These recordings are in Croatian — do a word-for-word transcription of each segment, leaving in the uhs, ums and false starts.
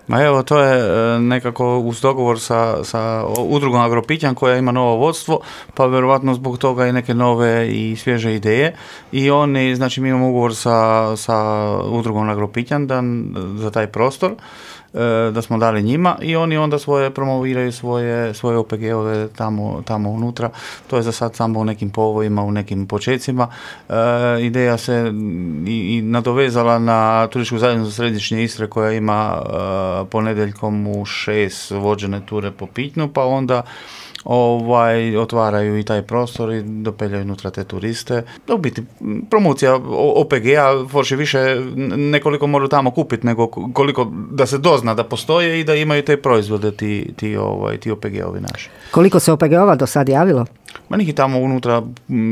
Ma evo, to je nekako uz dogovor sa, sa udrugom Agropitjan koja ima novo vodstvo, pa vjerovatno zbog toga i neke nove i svježe ideje. I oni, znači mi imamo ugovor sa, sa udrugom Agropitjan da, za taj prostor, da smo dali njima i oni onda svoje promoviraju svoje, svoje O P G-ove tamo, tamo unutra. To je za sad samo u nekim povojima, u nekim počecima. E, ideja se i, i nadovezala na turističku zajednicu Središnje Istre koja ima e, ponedjeljkom u šest vođene ture po Pitnju, pa onda ovaj, otvaraju i taj prostor i dopeljaju unutra te turiste. U biti, promocija O P G-a, forši više nekoliko moraju tamo kupiti, nego koliko da se dozna da postoje i da imaju te proizvode ti, ti, ovaj, ti O P G-ovi naši. Koliko se O P G-ova do sad javilo? Ma njih tamo unutra,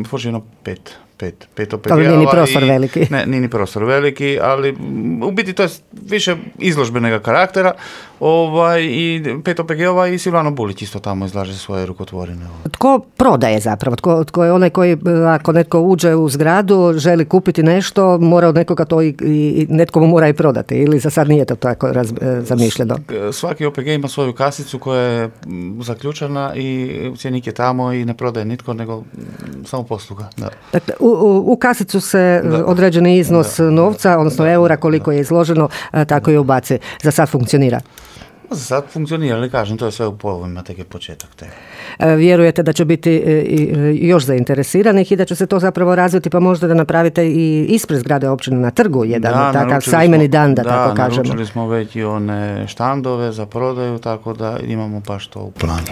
forši jedno pet. Pet, pet O P G-ova. Ali nije ni prostor veliki. Ne, nije ni prostor veliki, ali u biti to je više izložbenega karaktera. Ovaj, i pet O P G-ova i Silvano Bulić isto tamo izlaže svoje rukotvorine. Tko prodaje zapravo? Tko, tko je onaj koji, ako netko uđe u zgradu, želi kupiti nešto, mora od nekoga to i, i netko mu mora i prodati, ili za sad nije to tako raz, zamišljeno? Svaki O P G ima svoju kasicu koja je zaključana i cjenik je tamo i ne prodaje nitko, nego samo posluga. Da. Dakle, u, u, u kasicu se da. određeni iznos da. novca, odnosno da. eura, koliko da. je izloženo, tako i ubaci. Za sad funkcionira? Za sad funkcionira, ali kažem, to je sve u povojima, tek je početak. Te. Vjerujete da će biti još zainteresiranih i da će se to zapravo razviti, pa možda da napravite i ispred zgrade općine na trgu jedan da, takav sajmeni dan, da, da tako kažemo. Da, naručili smo već i one štandove za prodaju, tako da imamo baš to u planu.